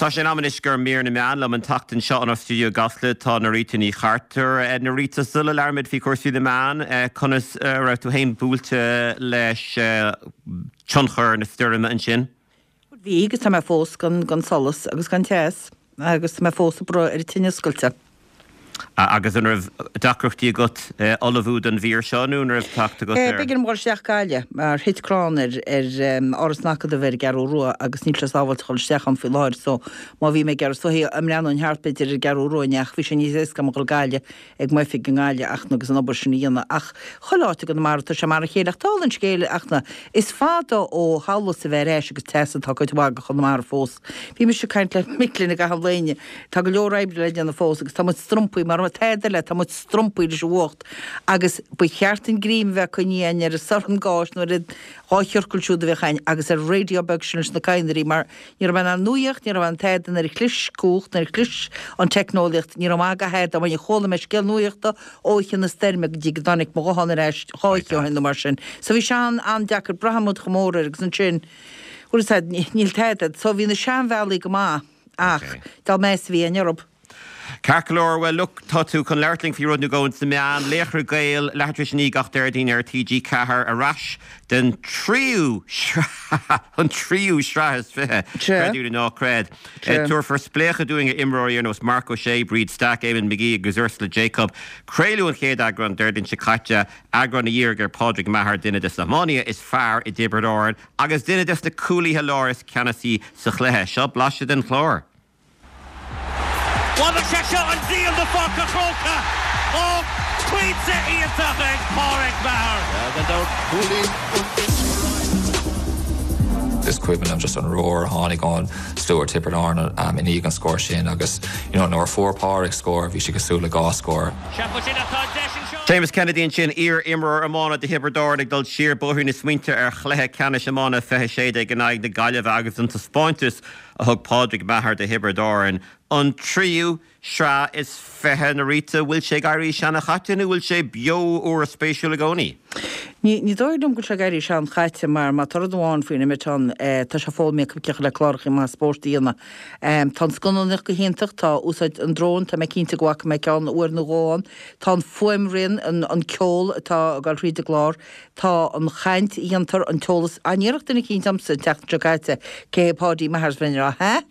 Tá sé in am anois do Mhír na Meán liom an tseachtain seo inár stiúideo i gCasla tá Norita Ní Chartúir. Norita, sula labhraímid faoi chúrsaí na meán, conas a raibh tú féin buailte leis tionchar na stoirme ansin? Bhí agus tá mé fós gan solas agus gan teas agus tá mé fós ag brath ar an tine oscailte. Agus an raibh deacrachtaí agat ullmhú don mhír seo nó an raibh teacht agat ar. B'éigean dom dhul isteach Gaillimh mar thit crann ar Áras an Acadaimh ar an gCeathrú Rua agus níl sé sábháilte dhul isteach ann faoi láthair so má bhí mé ag iarraidh soithí a mbreathnóinn thart b'fhéidir ar an gCeathrú Rua inné ach bhí sé níos éasca agam dhul Gaillimh ag m'oifig i nGaillimh ach agus an obair sin a dhéanamh ach chuile áit i gConamara tá sé mar a chéile ach dála an scéil ach na is fada ó sholas a bheith ar ais agus teas atá cuid mhaith de Chonamara fós. Bhí mise ag caint le mic léinn i gcaitheamh an lae inniu Tá go leor oibre le déanamh fós agus tá muid strompaithe, mar tada eile, tá muid strompaithe leis an bhfuacht agus ba cheart an ghrian a bheith coinnithe againn ar an sorn gáis nó ar an dá chiorcal siúd a bheadh againn agus ar an raidió beag sin leis na cadhnraí mar ní raibh mé in ann nuaíocht, ní raibh mé in ann tada nuair a chlis cumhacht, nuair a chlis an teicneolaíocht, ní raibh maith do thada ó chuala mé scéal nuaíochta ó oíche na stoirme go dtí go dtáinig mo ghuthán ar ais dhá oíche ó shin nó mar sin. So bhí sé an-deacair, braitheann muid chomh mór air agus ansin, bhuel is ea, níl tada, so bhí na seanbhealaí go maith. Ach dá meas a bhí againn orthu. Ceart go leor, bhuel look, tá tú chun labhairt linn faoi rud nó dhó ins na meáin, Laochra Gael, leathuair tar éis a 9 gach Déardaoin ar TG4, ar ais den tríú sraith, an tríú sraith is 20, creid é nó ná creid. Tabharfar spléachadh dúinn ar imreoirí ar nós Marc Ó Sé, Bríd Stack, Eamonn McGee agus Ursula Jacob. Craoladh an chéad eagrán Déardaoin seo caite, eagrán a dhírigh ar Pádraig Maher, duine des na hiománaithe is fearr i dTiobraid Árann, Agus duine des na cúlaithe láir is ceannasaí sa chluiche. Seo blaiseadh den chlár. Bhuel sé seo an díol do Pháirc an Chrócaigh. Ó, pointe iontach ag Pádraig Maher. Gan dabht, cúilín Is cuimhin liom just an roar a tháinig ón slua ar Tiobraid Árann i ndiaidh an scór sin agus you know nuair a fuair Pádraig scór bhí sé cosúil le dhá scór. Séamus Kennedy ansin, iar-imreoir iomána do Thiobraid Árann ag dul siar bóithrín na smaointe ar chluiche ceannais iomána 2016 in aghaidh na Gaillimhe agus an taispeántas a thug Pádraig Maher do Thiobraid Árann. An tríú sraith is 20, Norita, bhfuil sé ag éirí seana-chaite nó bhfuil sé beo úr spéisiúil i gcónaí? Ní dóigh liom go bhfuil sé ag éirí sean-chaite mar má tá rud amháin faoin imiteán, tá sé foghlamtha acu cé le cláracha maithe spóirt a dhéanamh. Tá an scannánaíocht go hiontach, tá úsáid an dróin, tá mé cinnte go bhfaca mé ceann uair nó dhó ann, tá an fuaimrian, an ceol atá ag dul thríd an gclár, tá an chaint a dhéantar, an t-eolas. An iarracht duine eicínt ormsa an tseachtain seo caite cé hé Páidí Maher is bheinn ag rá hah?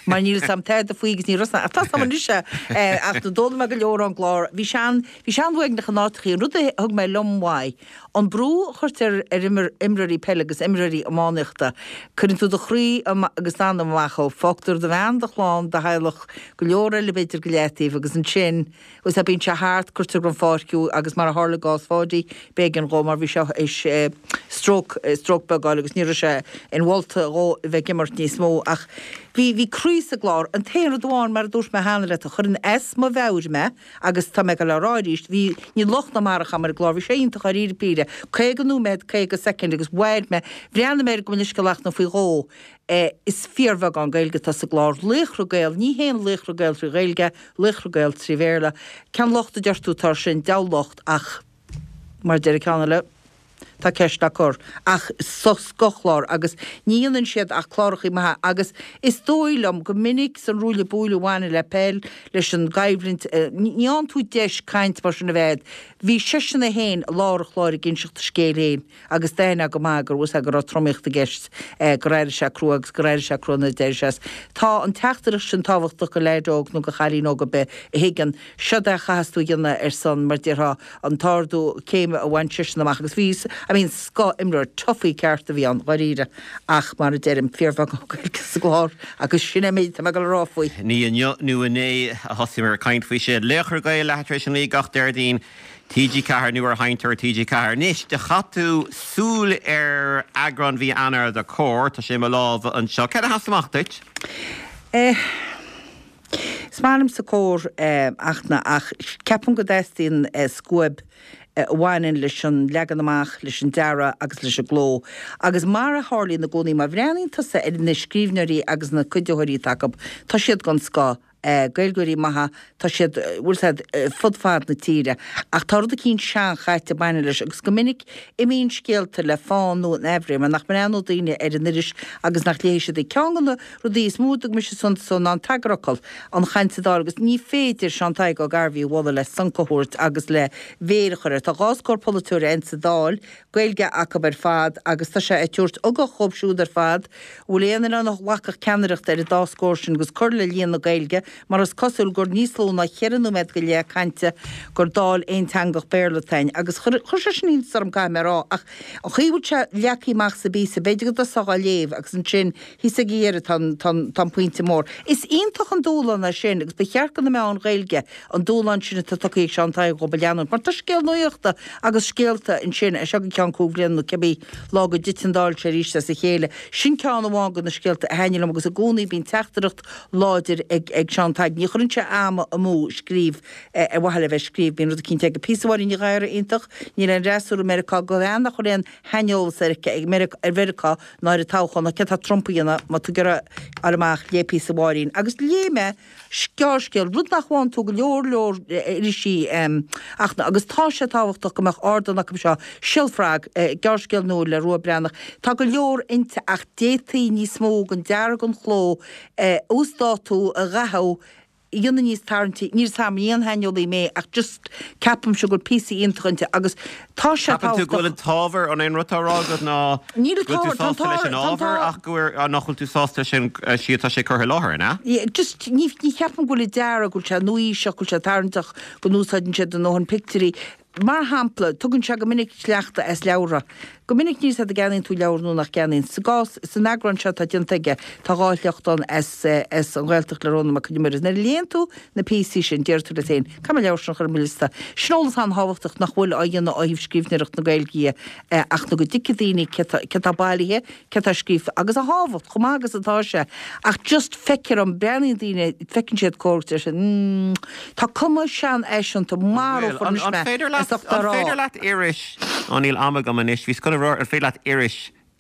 Mar níl fhios a'm tada faoi agus ní raibh fhios a'm, ach tá fhios a'm anois é, ach d'fhoghlaim mé go leor ón gclár. Bhí sé an, bhí sé an-uaigneach in áiteachaí, an rud a thug mé liom uaidh, An brú a chuirtear ar imreoirí peile agus imreoirí iománaíochta, cuireann tú do chroí agus d'anam amach ó, fágtar do bhean, do chlann, do theaghlach, go leor eile b'fhéidir go leataobh agus ansin, bhfuil 's a'd, bíonn sé thart, cuirtear den pháirc thú agus mar a tharla i gcás Pháidí, b'éigean dhó mar bhí sé théis stroke, stroke beag a fháil agus ní raibh sé inmholta dhó a bheith ag imirt níos mó ach bhí, bhí croí sa gclár. An t-aon rud amháin, mar a dúirt mé cheana leat, a chuireann as mo mheabhair mé, Agus tá mé ag dul á rá arís, bhí, níl locht ná mairg agam ar an gclár, bhí sé iontach dháiríre píre, 50 nóiméad, 50 soicind agus mhair mé, bhreathnaigh mé air gabh mo leithscéal ach nó faoi dhó, eh, is fíorbheagán Gaeilge atá sa gclár, Laochra Gael, ní haon Laochra Gael trí Ghaeilge, Laochra Gael trí Bhéarla. Cén locht a deir tú atá air sin, deabhal locht ach mar a deir an ceann eile, Tá ceist le cur. Ach scothchlár agus ní dhéanann siad ach clárachaí maithe agus is dóigh liom go minic san ruaille buaille a bhaineann le peil, leis an gcoimhlint, ní fhaigheann tú deis caint mar sin a bheith agat. Bhí seisean é féin i lár an chláir ag inseacht a scéil féin agus d'aithneofá go maith go raibh fhios agat go raibh tromaíocht i gceist, gur éirigh sé crua agus gur éirigh sé crua nuair a d'éirigh sé as. Tá an teachtaireacht sin tábhachtach go leaid óg nó go chailín óg ar bith a thuigeann seod é a chaitheas tú a dhéanamh ar son, mar déarfá, an t-ardú céime a bhain seisean amach agus bhí, I mean, scoth-imreoir, toughie ceart a bhí ann, dháiríre, ach mar a deirim, fíorbheagán Gaeilge sa gclár agus sin é an méid atá mé ag dul a rá faoi. Ní inniu nó inné a thosaíomar ag caint faoi sin. Laochra Gael, leathuair tar éis a 9 gach Déardaoin, TG4 nó ar sheinnteoir TG4. Anois, do chaith tú súil ar eagrán mhí Eanáir de Comhar, tá sé i mo lámha anseo. Céard a sheas amach duit? Eh. Is maith liomsa Comhar ach na ach ceapaim go dteastaíonn scuab a bhaineann leis an leagan amach, leis an dearadh agus leis an gcló. Agus mar a tharlaíonn i gcónaí, má bhreathnaíonn tusa ar na scríbhneoirí agus na cuiditheoirí atá acu, tá siad den scoth. Gaeilgeoirí maithe, tá siad, bhfuil 's a'd, fud fad na tíre. Ach tá rud eicínt seanchaite ag baint leis agus go minic imíonn scéalta le fán nó in aimhréidh mar nach mbreathnóidh daoine ar an iris agus nach léifidh siad í. Ceann de na rudaí is mó a dtug mise suntas dó ná an t-eagarfhocal, an chaint sa Dáil agus ní féidir Seán Tadhg Ó Gairbhí a mholadh le sonc a thabhairt agus le mhéar a chur air. Tá 12 scór polaiteoir a'inn sa Dáil, Gaeilge acu ar fad agus tá sé ag tabhairt ugach dhóibh siúd ar fad. Bhfuil aon duine ann a ghlacfadh ceannaireacht ar an dá scór sin agus cur le líon na Gaeilge mar is cosúil gur níos lú ná cheithre nóiméad go leith cainte gur Dáil aonteangach Béarla atá a'inn agus chuir sé sin iontas orm caithfidh mé a rá ach an chaoi a bhfuil sé leagtha amach sa bpíosa b'fhéidir go dtosófá á léamh agus ansin thíos ag a dheireadh tá an tá an pointe mór. Is iontach an dúshlán é sin agus ba cheart do na meáin Ghaeilge an dúshlán sin atá tugtha ag Seán Tadhg dhóibh a leanúint mar tá scéal nuachta agus scéalta ansin as seo go ceann cúig bhliana nó cibé lá go dtiteann an Dáil seo arís as a chéile. Sin ceann amháin de na scéalta a thaitnigh liom agus i gcónaí bíonn teachtaireacht láidir ag ag Seán Tadhg. Ní chuireann sé am amú ag scríobh ar mhaithe le bheith ag scríobh. Bíonn rud eicínt aige. Píosa Mháirín Ní Ghadhra iontach. Níl aon fhreasúra i Meiriceá do bhean nach bhfuil aon shaineolas aici ar Mheiriceá ná ar an toghchán ná céard tá Trump a dhéanamh má tá tú ag iarraidh fháil amach léigh píosa Mháirín. Agus léigh mé gearrscéal, rud nach bhfaigheann tú go leor leor irisí ach agus tá sé tábhachtach go mbeadh ardán acu seo, Siolfrag, gearrscéal nua le Rua Breathnach. Tá go leor inti ach d'fhéadfaí níos mó den dearadh den chló a uasdátú, a dhathú, a dhéanamh níos tarraingtí. Níl 's a'm, ní aon shaineolaí mé ach just ceapaimse go bhfuil píosaí iontacha inti agus tá sé Ceapann tú go bhfuil an t-ábhar, an é an rud atá á rá agat ná Níl an go bhfuil tú t-ábhar, tá an sásta leis t-ábhar, an tá an ábhar t-ábhar. ach go bhfuil, nach bhfuil tú sásta leis an slí atá sé curtha i láthair, an ea? Yeah, just ní, ní cheapaim go bhfuil an dearadh, go bhfuil sé nua-aoiseach, go bhfuil sé tarraingteach, go n-úsáideann sé a ndóthain pictiúirí. Mar shampla, tugann sé go minic sleachta as leabhartha. Go minic níl 's a'd an gceannaíonn tú leabhar nó nach gceannaíonn. Sa gcás, san eagrán seo atá déanta aige, tá 2 shliocht ann as, as An Ghaeltacht le Rónán Mac Con Iomaire. Nuair a léann tú na píosaí sin, déarfaidh tú leat féin, caithfidh mé an leabhar sin a chur ar mo liosta. Sin eolas an-tábhachtach nach bhfuil á dhéanamh ó thaobh scríbhneoireacht na Gaeilge dhe ach nó go dtuigfidh daoine cé tá, cé tá bailithe, cé tá scríofa agus a thábhacht, chomh maith agus atá sé. Ach just feictear dom, breathnaíonn daoine, feiceann siad Comhar agus deir siad, mm, tá cuma seanfhaiseanta, marófar anois mé as ucht á rá. An féidir leat iris, ó níl am agam anois, bhíos chun a rá, an féidir leat iris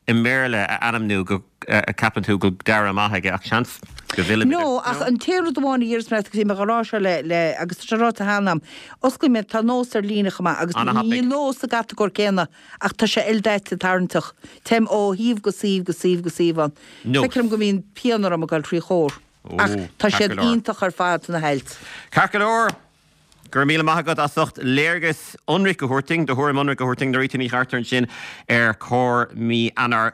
i mBéarla a ainmniú go gceapann tú go bhfuil dearadh maith aige ach seans go bhfillfimid air. No, ach an t-aon rud amháin a déarfas mé leat agus bhí mé á rá seo le, le, agus tá sé ráite cheana agam, osclaíonn mé, tá Nós ar líne chomh maith agus níl Nós sa gcatagóir céanna Ach tá sé ildaite tarraingteach. Téim ó shuíomh go suíomh go suíomh go suíomh ann. Nós. Feictear dom go mbíonn pian orm ag dul trí Chomhar. Ach tá ceart siad go leor. iontach ar fad, na hailt. Ceart go leor. Go raibh míle maith agat as ucht léargas ionraic a thabhairt dúinn, do thuairim ionraic a thabhairt dúinn, Norita Ní Chartúir ansin ar Comhar mí Eanáir.